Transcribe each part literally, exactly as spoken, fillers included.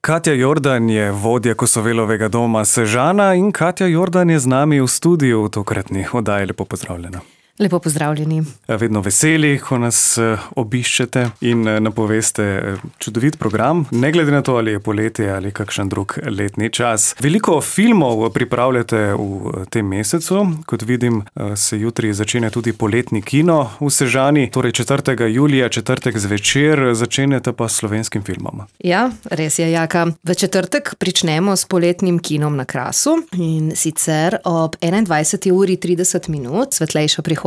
Katja Jordan je vodja Kosovelovega doma Sežana in Katja Jordan je z nami v studiu v tokratni oddaji. Lepo pozdravljena. Lepo pozdravljeni. Vedno veseli, ko nas obiščete in napoveste čudovit program, ne glede na to, ali je poletje ali kakšen drug letni čas. Veliko filmov pripravljate v tem mesecu. Kot vidim, se jutri začenja tudi poletni kino v Sežani, torej četrtega julija, četrtek zvečer, začenjate pa s slovenskim filmom. Ja, res je, Jaka. V četrtek pričnemo s poletnim kinom na Krasu in sicer ob enaindvajseti uri trideset minut, svetlejša prihodnost,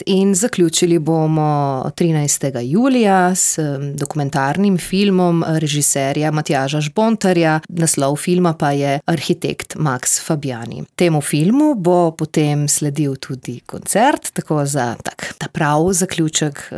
in zaključili bomo trinajstega julija s dokumentarnim filmom režiserja Matjaža Žbontarja. Naslov filma pa je Arhitekt Max Fabiani. Temu filmu bo potem sledil tudi koncert, tako za tak, ta prav zaključek uh,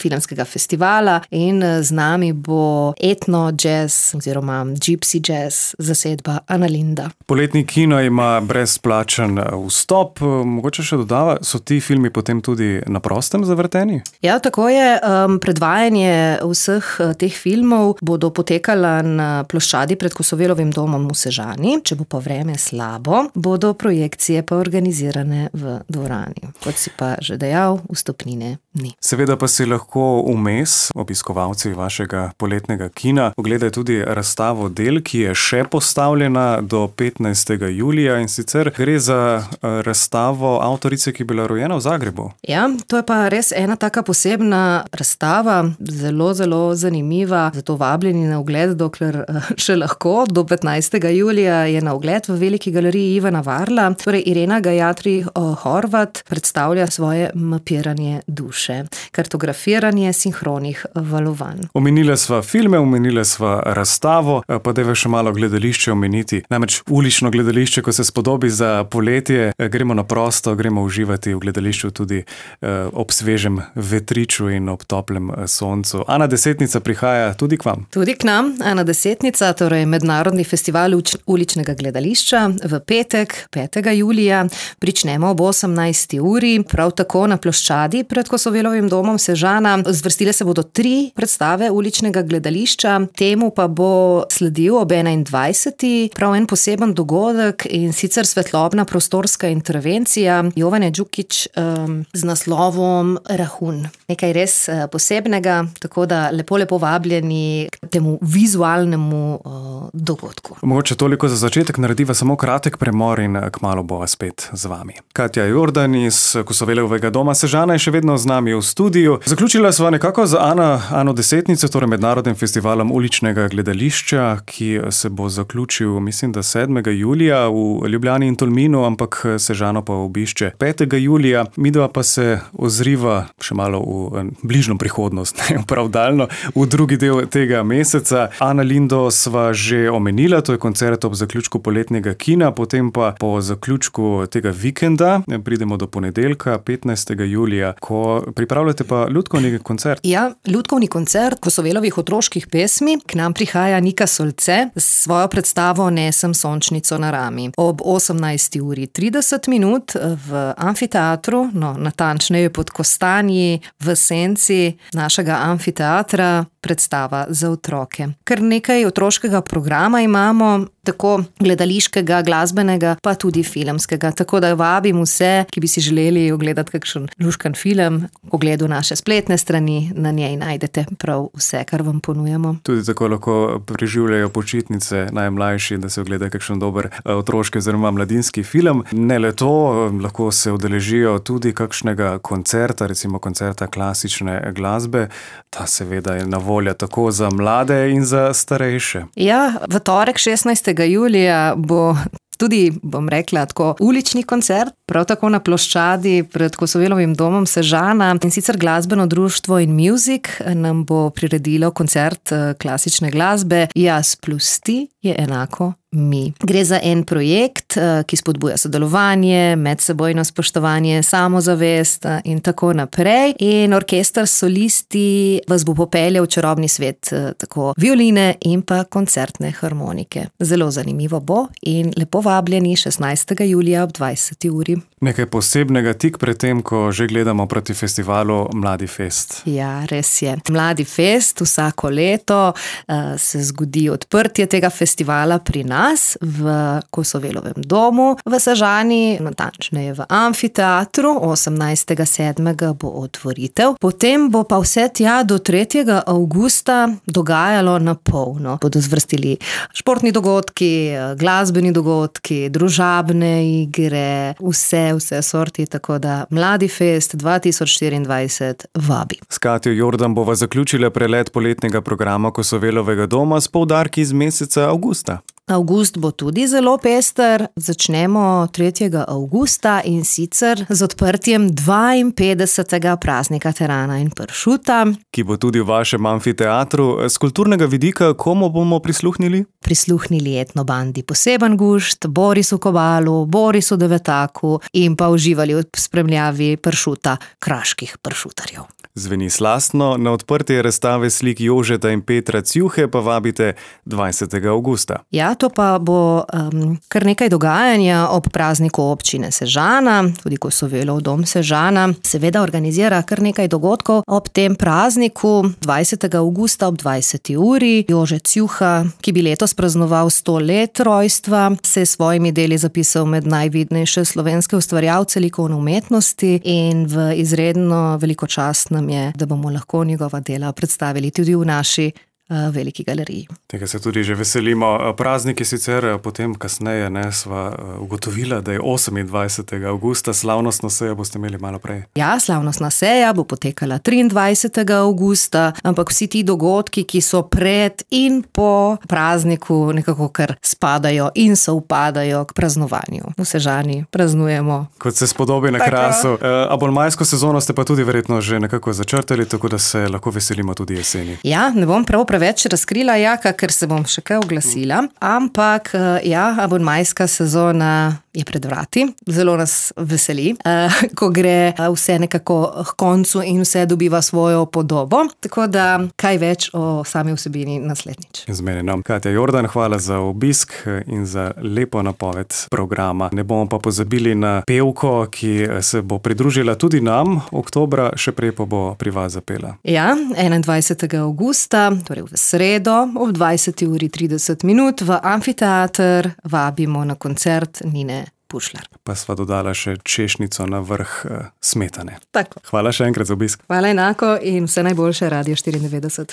filmskega festivala, in z nami bo etno jazz oziroma gypsy jazz zasedba Analinda. Poletni kino ima brezplačen vstop. Mogoče še dodava, so ti filmi potem tudi na prostem zavrteni? Ja, tako je. Um, predvajanje vseh teh filmov bodo potekala na ploščadi pred Kosovelovim domom v Sežani. Če bo pa vreme slabo, bodo projekcije pa organizirane v dvorani. Kot si pa že dejal, vstopnine ni. Seveda pa si lahko vmes, obiskovalci vašega poletnega kina, ogledajo tudi razstavo del, ki je še postavljena do petnajstega julija, in sicer gre za razstavo avtorice, ki je bila rojena v Zagrebu. Ja, to je pa res ena taka posebna razstava, zelo, zelo zanimiva, zato vabljeni na ogled, dokler še lahko. Do petnajstega julija je na ogled v Veliki galeriji Ivana Varla. Torej, Irena Gajatri Horvat predstavlja svoje mapiranje duše, kartografiranje sinhronih valovanj. Omenila sva filme, omenila sva razstavo, pa dajva še malo gledališče omeniti. Namreč ulično gledališče, ko se spodobi za poletje, gremo na prosto, gremo uživati v gledališču tudi eh, ob svežem vetriču in ob toplem soncu. Ana Desetnica prihaja tudi k vam. Tudi k nam. Ana Desetnica, torej Mednarodni festival uč- uličnega gledališča v petek, petega julija. Pričnemo ob osemnajsti uri, prav tako na ploščadi pred Kosovelovim domom Sežana. Zvrstile se bodo tri predstave uličnega gledališča, temu pa bo sledil ob enaindvajseti prav en poseben dogodek, in sicer svetlobna prostorska intervencija Jovane Đukić um, z naslovom Rahun. Nekaj res uh, posebnega, tako da lepo, lepo vabljeni k temu vizualnemu uh, dogodku. Mogoče toliko za začetek, narediva samo kratek premor in kmalu bova spet z vami. Katja Jordan iz Kosovelovega doma Sežana je še vedno z nami v studiu. Zaključila sva nekako z Ana, Ano Desetnico, torej Mednarodnim festivalom uličnega gledališča, ki se bo zaključil, mislim, da sedmega julija v Ljubljani in Tolminu, ampak Sežano pa obišče petega julija. Midva pa se ozriva še malo v bližnjo prihodnost, ne prav daljno, v drugi del tega meseca. Analindo sva že omenila, to je koncert ob zaključku poletnega kina, potem pa po zaključku tega vikenda pridemo do ponedeljka, petnajstega julija, ko pripravljate pa lutkovni koncert. Ja, lutkovni koncert Kosovelovih otroških pesmi. K nam prihaja Nika Solce s svojo predstavo Nesem sončnico na rami. Ob osemnajsti uri trideset minut v amfiteatru, no, natančneje pod Kostanji, v senci našega amfiteatra, predstava za otroke. Kar nekaj otroškega programa imamo, tako gledališkega, glasbenega, pa tudi filmskega. Tako da vabim vse, ki bi si želeli ogledati kakšen luškan film, ogledu naše spletne strani, na njej najdete prav vse, kar vam ponujamo. Tudi tako lahko preživljajo počitnice najmlajši, da se ogledajo kakšen dober otroški oziroma mladinski film. Ne le to, lahko se udeležijo tudi kakšnega koncerta, recimo koncerta klasične glasbe. Ta seveda je na voljo tako za mlade in za starejše. Ja, v torek šestnajstega julija bo tudi, bom rekla, tako ulični koncert, prav tako na ploščadi pred Kosovelovim domom Sežana, in sicer glasbeno društvo In Music nam bo priredilo koncert klasične glasbe Jaz plus ti je enako mi. Gre za en projekt, ki spodbuja sodelovanje, medsebojno spoštovanje, samozavest in tako naprej. In orkester solisti vas bo popeljal v čarobni svet, tako violine in pa koncertne harmonike. Zelo zanimivo bo in lepo vabljeni šestnajstega julija ob dvajseti uri. Nekaj posebnega tik pred tem, ko že gledamo proti festivalu Mladi fest. Ja, res je. Mladi fest vsako leto uh, se zgodi odprtje tega festivala pri nas v Kosovelovem domu v Sežani, natančneje v amfiteatru. osemnajstega sedmega bo otvoritev. Potem bo pa vse tja do tretjega avgusta dogajalo na polno. Bodo zvrstili športni dogodki, glasbeni dogodki, družabne igre, vse, vse sorti, tako da Mladi fest dva tisoč štiriindvajset vabi. S Katjo Jordan bova zaključila prelet poletnega programa Kosovelovega doma s poudarki iz meseca avgusta. Avgust bo tudi zelo pester. Začnemo tretjega avgusta in sicer z odprtjem dvainpetdesetega praznika terana in pršuta, ki bo tudi v vašem amfiteatru. Z kulturnega vidika komu bomo prisluhnili? Prisluhnili etnobandi Poseben gušt, Borisu Kobalu, Borisu Devetaku in pa uživali v spremljavi pršuta kraških pršutarjev. Zveni slastno, na odprtje razstave slik Jožeta in Petra Cjuhe pa vabite dvajsetega avgusta. Ja, to pa bo um, kar nekaj dogajanja ob prazniku občine Sežana, tudi Kosovelov dom Sežana. Seveda organizira kar nekaj dogodkov ob tem prazniku. dvajsetega avgusta ob dvajseti uri Jože Cjuha, ki bi letos praznoval sto let rojstva, se je s svojimi deli zapisal med najvidnejše slovenske ustvarjalce likovne umetnosti in v izredno veliko čast nam je, da bomo lahko njegova dela predstavili tudi v naši uh, veliki galeriji. Tega se tudi že veselimo. Praznik je sicer potem kasneje, ne, sva ugotovila, da je osemindvajsetega avgusta, slavnostna seja boste imeli malo prej. Ja, slavnostna seja bo potekala triindvajsetega avgusta, ampak vsi ti dogodki, ki so pred in po prazniku, nekako kar spadajo in se upadajo k praznovanju. V Sežani praznujemo. Kot se spodobi na Krasu. A bolj majsko sezono ste pa tudi verjetno že nekako začrtali, tako da se lahko veselimo tudi jeseni. Ja, ne bom prav preveč razkrila, Jaka, ker se bom še kaj oglasila, ampak ja, abonmajska sezona je pred vrati. Zelo nas veseli, ko gre vse nekako k koncu in vse dobiva svojo podobo, tako da kaj več o sami vsebini naslednjič. Zmenjeno. Katja Jordan, hvala za obisk in za lepo napoved programa. Ne bomo pa pozabili na pevko, ki se bo pridružila tudi nam oktobra, še prej pa bo pri vas zapela. Ja, enaindvajsetega avgusta, torej v sredo, ob dvajseti uri trideset minut v amfiteater vabimo na koncert Nine Pušlar. Pa sva dodala še češnjico na vrh uh, smetane. Tako. Hvala še enkrat za obisk. Hvala enako in vse najboljše, Radio štiriindevetdeset.